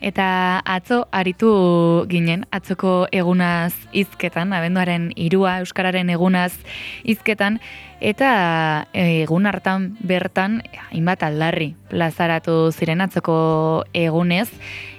Eta atzo aritu ginen, atzoko egunaz hizketan, abenduaren 3 Euskararen egunaz hizketan, eta egun hartan bertan, hainbat aldarri plazaratu ziren atzoko egunez,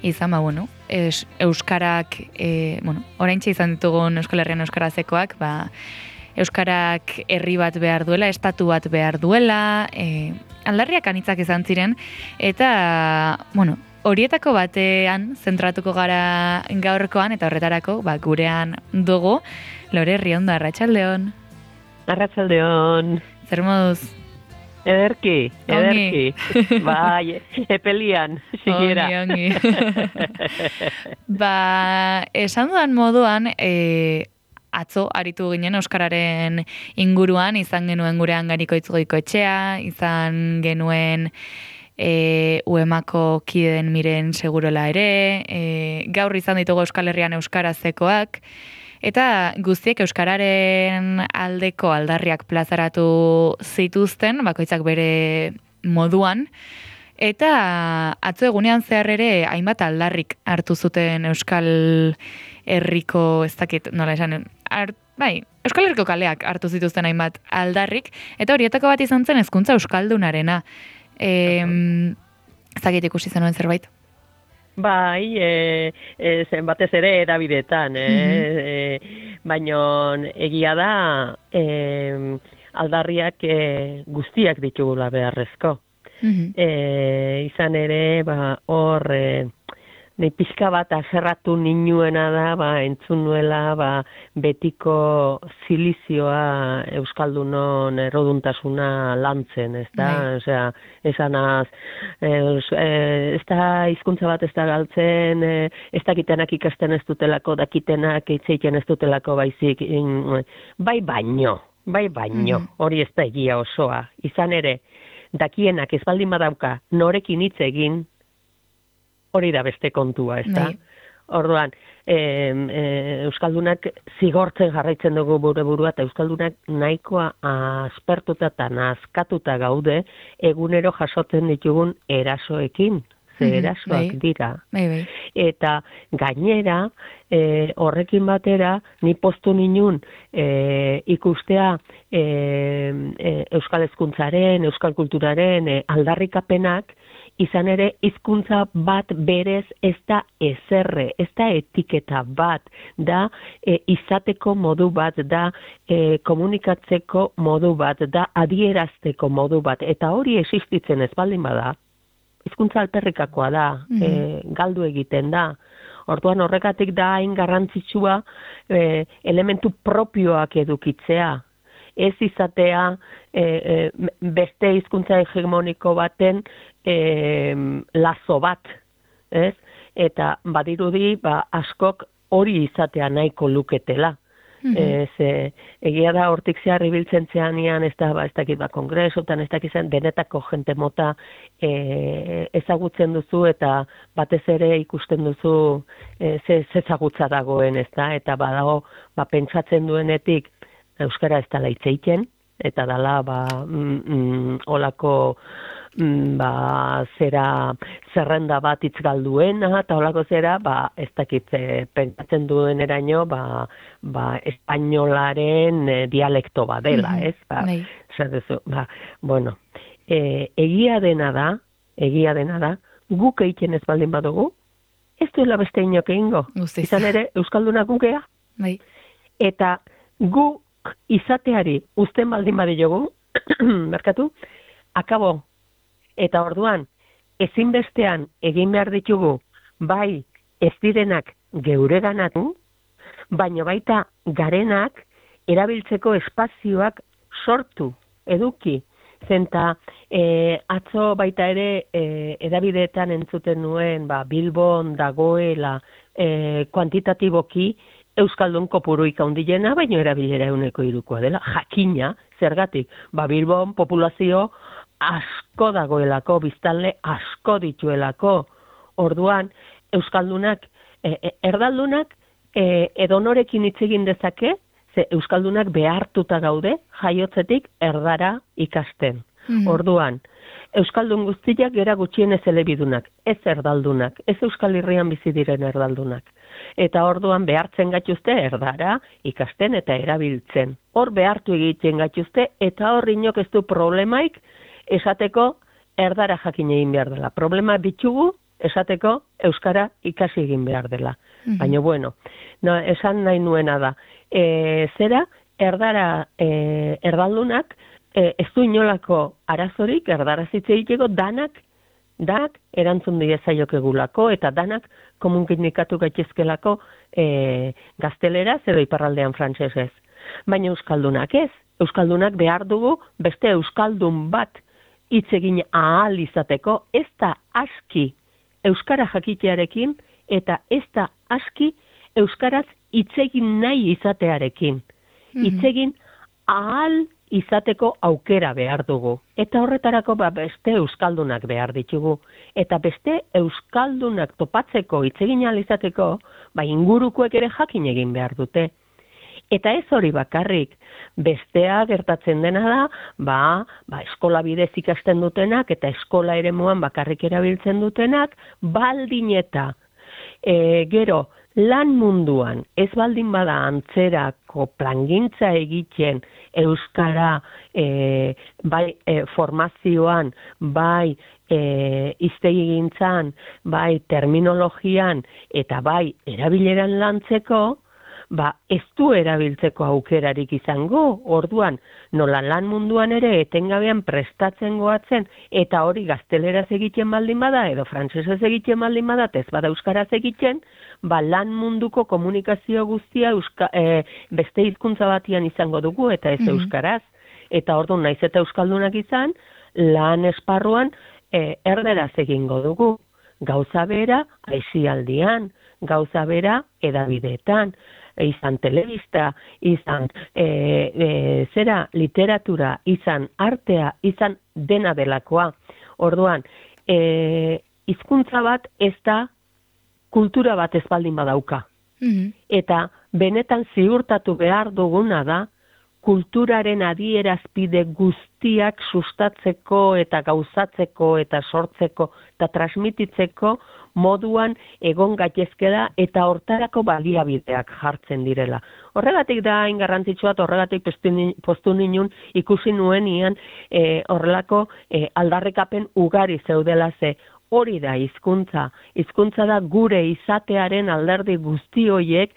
izan Euskarak, oraintxe izan ditugun Euskal Herrian euskarazekoak, Euskarak herri bat behar duela, estatu bat behar duela, aldarriak anitzak izan ziren, eta, horietako batean zentratuko gara gaurkoan, eta horretarako, gurean dugu, Lore Riondo, arratsaldeon. Arratsaldeon. Zer moduz? Ederki. Bai, epelian, sigiera. Ongi. Esan dudan moduan, atzo aritu ginen Euskararen inguruan, izan genuen gurean Garikoitz Goikoetxea, izan genuen UEMako kideen miren segurola ere, gaur izan ditugu Euskal Herrian euskarazekoak, eta guztiek euskararen aldeko aldarriak plazaratu zituzten, bakoitzak bere moduan, eta atzo egunean zehar ere hainbat aldarrik hartu zuten Euskal Herriko, ez dakit nola esan, Euskal Herriko kaleak hartu zituzten hainbat aldarrik, eta horietako bat izan zen hezkuntza euskaldunarena. Zagit ikusi zenuen zerbait? Bai, zen batez ere erabidetan, baina egia da aldarriak guztiak ditugula beharrezko. Izan ere, hor, nahi pixka bat aserratu ninuena da, entzun nuela, betiko zilizioa Euskaldunon erroduntasuna lantzen, ez da? Osea, esanaz, ez da hizkuntza bat ez da galtzen, ez dakitenak ikasten ez dutelako, dakitenak eitzeiten ez dutelako baizik, bai baino, hori ez da egia osoa. Izan ere, dakienak ez baldin badauka norekin hitz egin, hori da beste kontua, ez da? Orduan, Euskaldunak zigortzen jarraitzen dugu gure burua, eta Euskaldunak nahikoa aspertuta eta nazkatuta gaude egunero jasotzen ditugun erasoekin, ze erasoak dira. Eta gainera, horrekin batera, ni poztu ninun ikustea Euskal hezkuntzaren, Euskal kulturaren aldarrikapenak, izan ere, hizkuntza bat berez ez da ezerre, ez da etiketa bat, da izateko modu bat, da komunikatzeko modu bat, da adierazteko modu bat, eta hori existitzen ez baldin bada, hizkuntza alperrikakoa da, galdu egiten da. Orduan horregatik da hain garrantzitsua elementu propioak edukitzea. Ez izatea beste hizkuntza hegemoniko baten lazo bat, ez? Eta badirudi askok hori izatea nahiko luketela. Egia da hortik zehar ibiltzen zeanian, ez dakit kongresotan, ez dakit zen, denetako jente mota ezagutzen duzu eta batez ere ikusten duzu ezagutza dagoen, ez da? Eta badago, pentsatzen duenetik euskara ez dela hitz egiten, eta dela olako zerrenda bat hitz galduena, eta olako zera, ez dakit pentsatzen duen eraino, espainolaren dialekto bat dela, ez? Egia dena da, guk egiten ez baldin badugu, ez duela beste inok egingo. Izan ere, Euskaldunak gukea. Eta guk izateari uzten baldin badiogu, merkatu, akabo. Eta orduan, ezinbestean egin behar ditugu, bai ez direnak geureganatu, baina baita garenak erabiltzeko espazioak sortu, eduki. Zenta, atzo baita ere edabideetan entzuten nuen, Bilbon dagoela kuantitatiboki Euskaldun kopuruik handiena, baina erabilera 100%koa dela, jakina, zergatik, Bilbon populazio asko dagoelako, biztanle asko dituelako. Orduan, Euskaldunak, erdaldunak edonorekin hitz egin dezake, ze Euskaldunak behartuta gaude, jaiotzetik erdara ikasten. Orduan, Euskaldun guztiak gera gutxienez elebidunak, ez erdaldunak, ez Euskal Herrian bizi diren erdaldunak. Eta orduan behartzen gaituzte erdara ikasten eta erabiltzen. Hor behartu egiten gaituzte eta hor inok ez du problemaik esateko erdara jakin egin behar dela. Problema ditugu esateko euskara ikasi egin behar dela. Baina bueno, esan nahi nuena da. Zera, erdara erdaldunak ez du inolako arazorik erdara zitze egiteko danak erantzun diezaiokegulako eta danak komunikatu gaitezkelako gazteleraz edo iparraldean frantsesez. Baina euskaldunak ez. Euskaldunak behar dugu beste euskaldun bat hitz egin ahal izateko, ez da aski euskara jakitearekin eta ez da aski euskaraz hitz egin nahi izatearekin. Hitz egin ahal izateko aukera behar dugu. Eta horretarako beste euskaldunak behar ditugu. Eta beste euskaldunak topatzeko hitz egin ahal izateko, ingurukoek ere jakin egin behar dute. Eta ez hori bakarrik, bestea gertatzen dena da, eskola bidez ikasten dutenak eta eskola eremuan bakarrik erabiltzen dutenak, baldin eta gero lan munduan ez baldin bada antzerako plangintza egiten euskara bai formazioan, bai hiztegigintzan, bai terminologian eta bai erabileran lantzeko, ez du erabiltzeko aukerarik izango, orduan, nola lan munduan ere etengabean prestatzen goatzen, eta hori gazteleraz egiten baldin bada, edo frantsesez egiten baldin bada, ez bada euskaraz egiten, lan munduko komunikazio guztia beste hizkuntza batian izango dugu, eta ez euskaraz. Eta orduan, naiz eta euskaldunak izan, lan esparruan erderaz egingo dugu. Gauza bera, aisialdian, gauza bera, edabideetan, izan telebista, izan literatura, izan artea, izan dena delakoa. Orduan, hizkuntza bat ez da kultura bat ez baldin badauka. Eta benetan ziurtatu behar duguna da, kulturaren adierazpide guztiak sustatzeko eta gauzatzeko eta sortzeko eta transmititzeko moduan egon gaitezke da eta hortarako baliabideak jartzen direla. Horregatik da hain garrantzitsua, horregatik postu ninun ikusi nuenian horrelako aldarrikapen ugari zeudela ze. Hori da hizkuntza. Hizkuntza da gure izatearen alderdi guzti horiek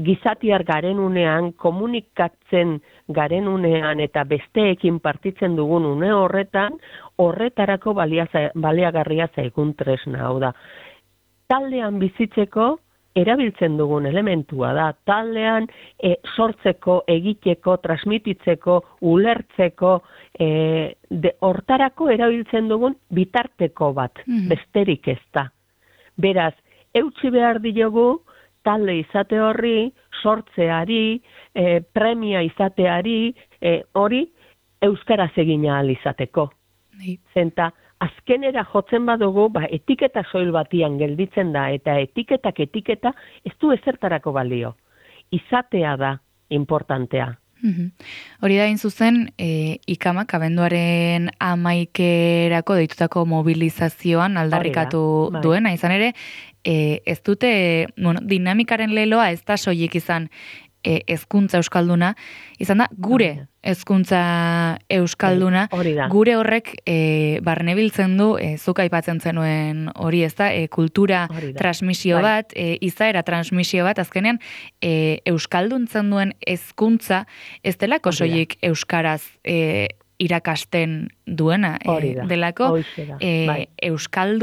gizatiar garenunean, komunikatzen garenunean eta besteekin partitzen dugun une horretarako baliagarria zaigun tresna hau da. Taldean bizitzeko erabiltzen dugun elementua da. Taldean sortzeko, egiteko, transmititzeko, ulertzeko, hortarako erabiltzen dugun bitarteko bat, besterik ez da. Beraz, eutsi behar diogu, talde izate horri, sortzeari, premia izateari, hori euskaraz egin ahal izateko. Zenta, azkenera jotzen badugu, etiketa soil batian gelditzen da, eta etiketa ez du ezertarako balio. Izatea da importantea. Hori da, zuzen, ikamak abenduaren 11erako deitutako mobilizazioan aldarrikatu duena, izan ere, ez dute, dinamikaren leloa ez da soilik izan hezkuntza euskalduna, izan da gure hezkuntza euskalduna, gure horrek barnebiltzen du, zuk aipatzen zenuen hori ez da, kultura transmisio bat, izaera transmisio bat, azkenean euskalduntzen duen hezkuntza ez delako soilik euskaraz irakasten duena, delako euskal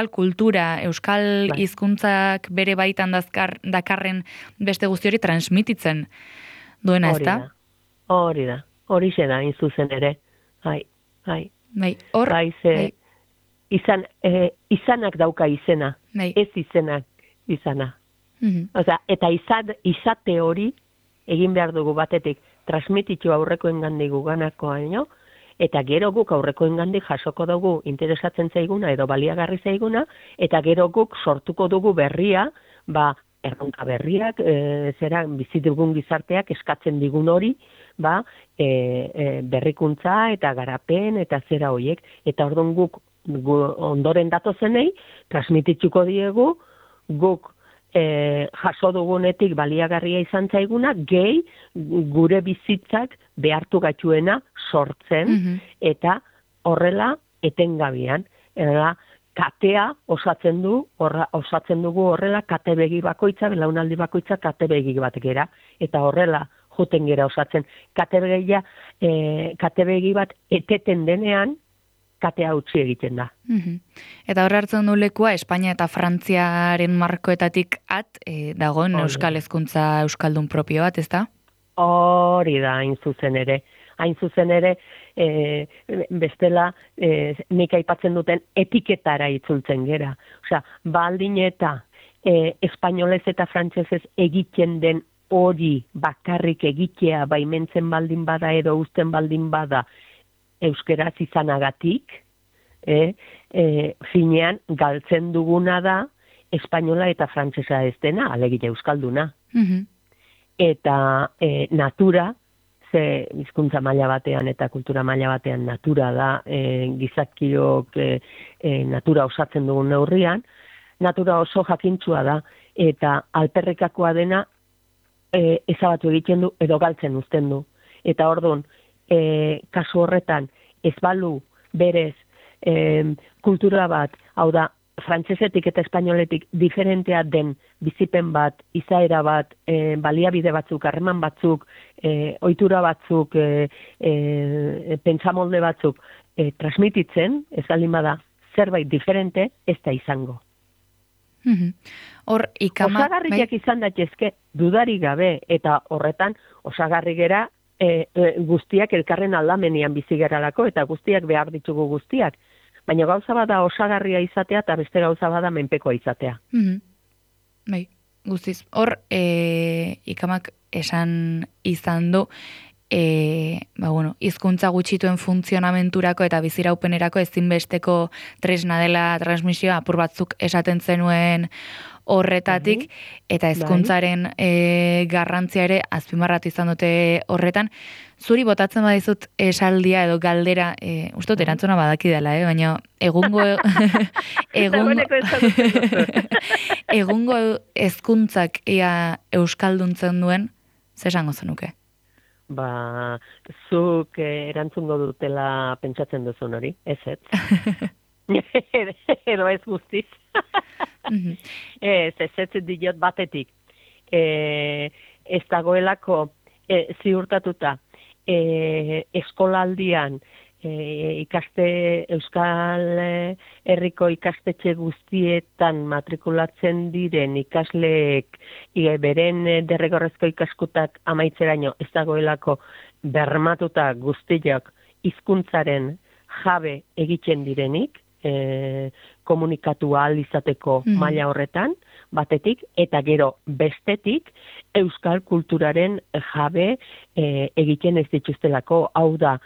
kultura, euskal hizkuntzak bere baitan dakarren beste guzti hori transmititzen duena, ez da? Hori da, hori da, inzuzen ere. Izanak dauka izena, ez izenak izana. Eta izate hori egin behar dugu batetik, transmititu aurrekoen gandik guganakoa, eta gero guk aurrekoen gandik jasoko dugu interesatzen zaiguna edo baliagarri zaiguna, eta gero guk sortuko dugu berria, erronka berriak, bizi dugun gizarteak eskatzen digun hori, berrikuntza eta garapen eta zera hoiek, eta orduan guk ondoren datozenei transmititzuko diegu, guk jaso dugunetik baliagarria izan zaiguna, gehi gure bizitzak behartu gaituena sortzen, eta horrela etengabian, katea osatzen dugu horrela kate begi bakoitza, belaunaldi bakoitza kate begi bat gera, eta horrela joten gera osatzen. Kate begi bat eteten denean, katea utzi egiten da. Eta hor hartzen du lekua, Espainia eta Frantziaren markoetatik dagoen euskal hezkuntza euskaldun propio bat, ez da? Hori da, hain zuzen ere. Hain zuzen ere, bestela, nik aipatzen duten etiketara itzultzen gera. Osea, baldin eta espainolez eta frantsesez egiten den hori bakarrik egitea baimentzen baldin bada edo uzten baldin bada euskeraz izanagatik, finean galtzen duguna da espainola eta frantsesa ez dena, alegia euskalduna. Eta natura, ze hizkuntza maila batean eta kultura maila batean natura da, gizakiok natura osatzen dugun neurrian, natura oso jakintsua da, eta alperrikakoa dena ezabatu egiten du edo galtzen uzten du. Eta orduan, kasu horretan, ez balu berez kultura bat, hau da, frantsesetik eta espainoletik diferentea den bizipen bat, izaera bat, baliabide batzuk, harreman batzuk, ohitura batzuk, pentsamolde batzuk transmititzen, ez baldin bada zerbait diferente, ez da izango. Osagarriak izan daitezke dudarik gabe, eta horretan osagarri gera guztiak elkarren aldamenean bizi geralako, eta guztiak behar ditugu guztiak. Baina gauza bada osagarria izatea, eta beste gauza bada menpekoa izatea. Bai, guztiz. Hor, ikamak esan izan du, hizkuntza gutxituen funtzionamenturako eta biziraupenerako ezinbesteko tresna dela transmisioa apur batzuk esaten zenuen horretatik, eta hezkuntzaren garrantzia ere azpimarratu izan dute horretan. Zuri botatzen badizut esaldia edo galdera, ustot erantzuna badaki dela, baina egungo hezkuntzak ea euskalduntzen duen, ze esango zenuke? Zuk erantzungo dutela pentsatzen duzun hori, ez? Edo ez guztiz. Ez diot batetik. Ez dagoelako ziurtatuta eskolaldian Euskal Herriko ikastetxe guztietan matrikulatzen diren ikasleek beren derrigorrezko ikaskutak amaitzeraino ez dagoelako bermatuta guztiak hizkuntzaren jabe egiten direnik, komunikatu ahal izateko maila horretan, batetik, eta gero bestetik, euskal kulturaren jabe egiten ez dituztelako, hau da,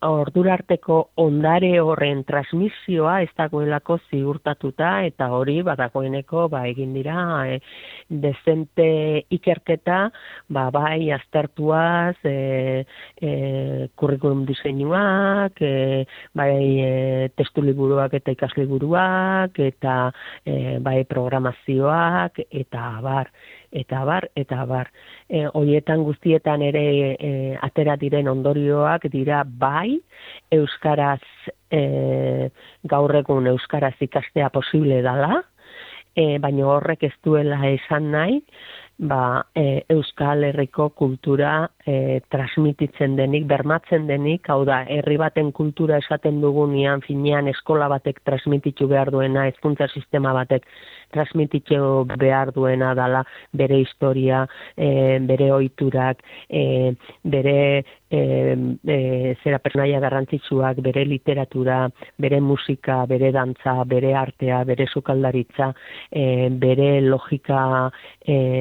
ordurarteko ondare horren transmisioa ez dagoelako ziurtatuta, eta hori badagoeneko egin dira dezente ikerketa, bai aztertuaz, kurrikulum diseinuak, bai testu liburuak eta ikasliburuak, eta bai programazioak, eta abar. Horietan guztietan ere atera diren ondorioak dira bai, euskaraz, gaur egun euskaraz ikastea posible dela, baina horrek ez duela esan nahi, Euskal Herriko kultura transmititzen denik, bermatzen denik, hau da, herri baten kultura esaten dugunean, finean eskola batek transmititu behar duena, hezkuntza sistema batek transmititu behar duena dala, bere historia, bere ohiturak, bere zera pertsonaia garrantzitsuak, bere literatura, bere musika, bere dantza, bere artea, bere sukaldaritza, bere logika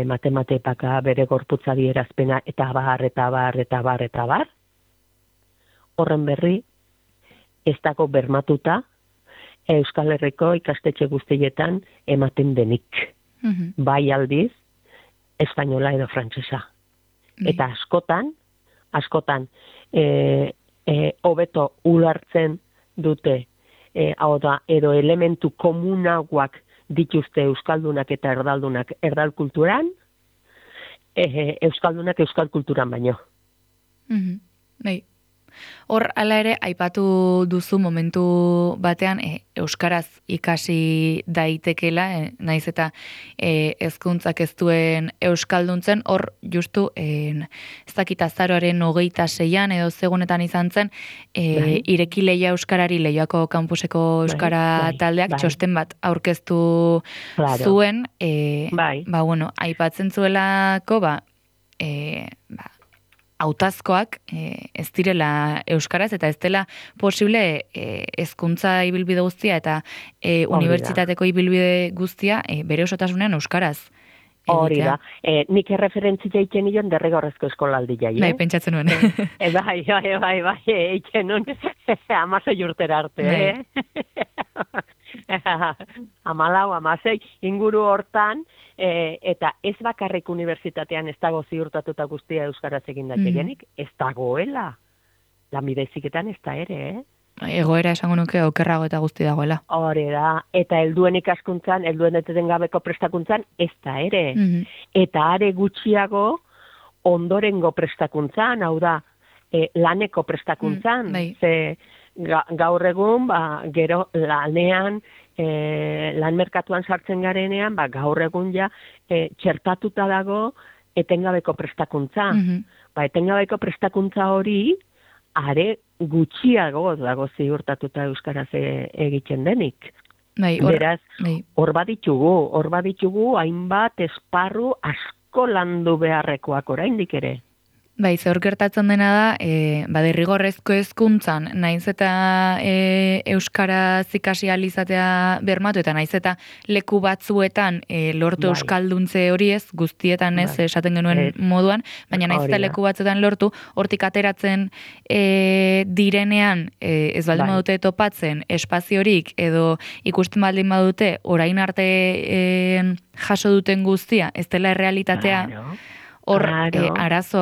matematepaka, bere gorputza adierazpena, eta bar. Horren berri, ez dago bermatuta, Euskal Herriko ikastetxe guztietan ematen denik. Bai aldiz, espainola edo frantsesa. Eta askotan, hobeto ulertzen dute, hau da, edo elementu komunagoak dituzte euskaldunak eta erdaldunak erdal kulturan, euskaldunak euskal kulturan baino. Bai. Hor, hala ere, aipatu duzu momentu batean, euskaraz ikasi daitekela, naiz eta hezkuntzak ez duen euskalduntzen, hor, justu, ez dakit azaroaren 26an edo segunetan izan zen, ireki Leia Euskarari, Leioako kampuseko euskara taldeak, txosten bat aurkeztu zuen, ba, bueno, aipatzen zuelako, hautazkoak ez direla euskaraz eta ez dela posible hezkuntza ibilbide guztia eta unibertsitateko ibilbide guztia bere osotasunean euskaraz. Hori da. Nik erreferentzia egiten nion derrigorrezko eskolaldi jai. Bai, pentsatzen nuen. Bai, egiten nuen 16 urtera arte. 14, inguru hortan, eta ez bakarrik unibertsitatean ez dago ziurtatuta guztia euskaraz egin daitegenik, ez dagoela. Lanbide-heziketan ez da ere, Egoera esango nuke okerrago eta guzti dagoela. Hori da, eta helduen ikaskuntzan, helduen etengabeko prestakuntzan, ez da ere. Eta are gutxiago ondorengo prestakuntzan, hau da, laneko prestakuntzan. Ze gaur egun, gero lanean, lan merkatuan sartzen garenean, gaur egun ja txertatuta dago etengabeko prestakuntza. Etengabeko prestakuntza hori, are gutxiago dago ziurtatuta euskaraz egiten denik. Beraz, hor baditugu hainbat esparru asko landu beharrekoak oraindik ere. Bai, zehor gertatzen dena da, derrigorrezko hezkuntzan naiz eta euskaraz ikasi ahal izatea bermatu, eta naiz eta leku batzuetan lortu euskalduntze hori ez, guztietan ez, esaten genuen moduan, baina naiz eta leku batzuetan lortu, hortik ateratzen direnean, ez baldin badute topatzen espaziorik, edo ikusten baldin badute, orain arte jaso duten guztia, ez dela errealitatea, hor arazo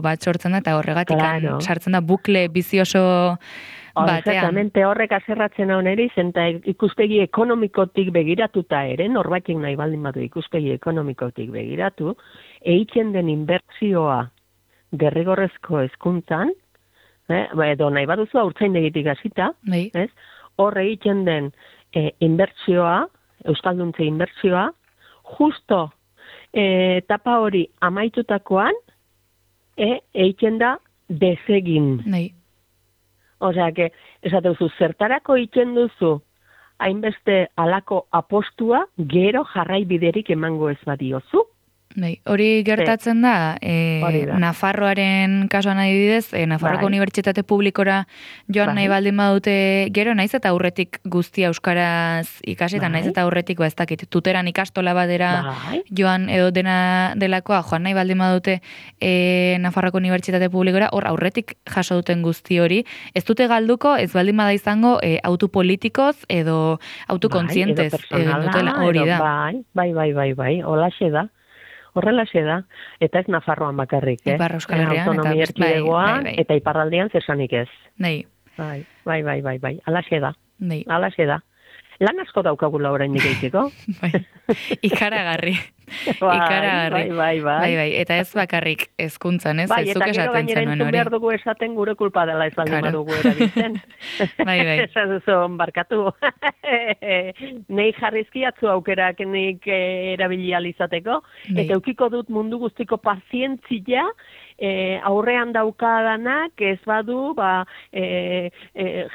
bat sortzen da, eta horregatik sartzen da bukle bizioso batean. Exactamente, horrek aserratzen hau neri, zenta ikuspegi ekonomikotik begiratuta ere, norbaitik nahi baldin badu ikuspegi ekonomikotik begiratu, egiten den inbertsioa derrigorrezko hezkuntzan, edo nahi baduzu haurtzaindegitik hasita, hor egiten den inbertsioa, euskalduntze inbertsioa, justo etapa hori amaitutakoan egiten da desegin. Osea, esateuzu, zertarako egiten duzu hainbeste alako apostua, gero jarraibiderik emango ez badiozu. Hori gertatzen da, Nafarroaren kasuan adibidez, Nafarroko Unibertsitate Publikora joan nahi baldin badute gero, naiz eta aurretik guztia euskaraz ikasi, eta naiz eta aurretik, ez dakit, tuteran ikastola badera joan edo dena delakoa, joan nahi baldin badute Nafarroko Unibertsitate Publikora, hor aurretik jaso duten guzti hori, ez dute galduko, ez baldin bada izango autu politikoz edo autu kontzientez egin dutela hori da. Bai, holaxe da. Horrelaxe da, eta ez Nafarroan bakarrik, Ipar Euskal Herrian, autonomia erkidegoan, eta iparraldean zesanik ez. Bai. Alaxe da. Lan asko daukagula oraindik egiteko. Ikaragarri. Bai. Eta ez bakarrik hezkuntzan, ez? Bai, eta gero gainera entzun behar dugu esaten gure kulpa dela ez baldin badugu erabiltzen. Bai. Esan duzu, barkatu. Nei jarrizkiatzu aukerak nik erabili alizateko, eta eukiko dut mundu guztiko pazientzia, aurrean daukadanak ez badu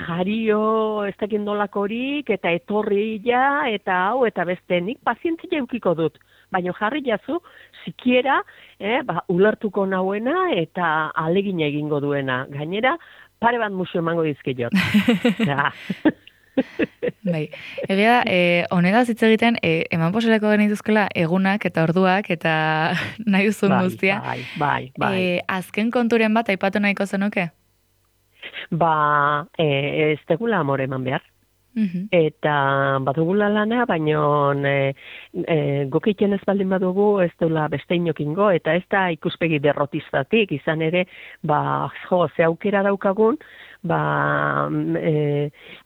jario ez dakin nolakorik eta etorria eta hau eta beste nik pazientzia eukiko dut, baina jarri jazu sikiera ulertuko nauena eta alegina egingo duena, gainera pare bat musu emango dizkiot. Bai, egia honetaz hitz egiten eman poseleko genituzkela egunak eta orduak eta nahi duzun guztia. Bai. Azken konturen bat aipatu nahiko zenuke? Ez tegula amore eman behar. Eta badugula lana, baino guk egiten ez baldin badugu, ez dula beste inokingo, eta ez da ikuspegi derrotistatik, izan ere, ze aukera daukagun,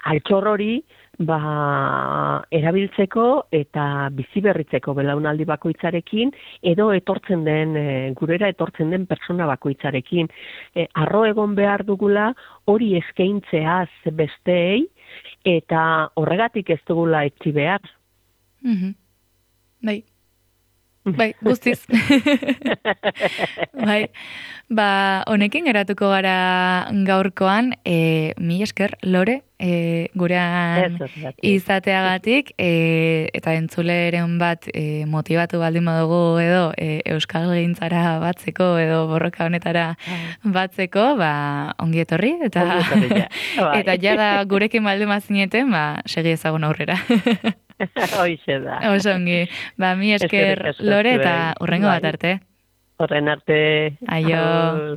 altxor hori, erabiltzeko eta bizi berritzeko belaunaldi bakoitzarekin, edo gurera etortzen den persona bakoitzarekin. Arro egon behar dugula hori eskaintzeaz besteei, eta horregatik ez dugula etzi behar. Bai, guztiz. Bai, honekin geratuko gara gaurkoan, mila esker, Lore, gurean izateagatik, eta entzuleren bat motivatu baldin badugu edo euskal gintzara batzeko edo borroka honetara batzeko, ongi etorri, eta jada gurekin baldin bazineten, segi ezagun aurrera. Hoixe da. Oso ongi. Mila esker, Lore, eta hurrengo bat arte. Horren arte. Aio.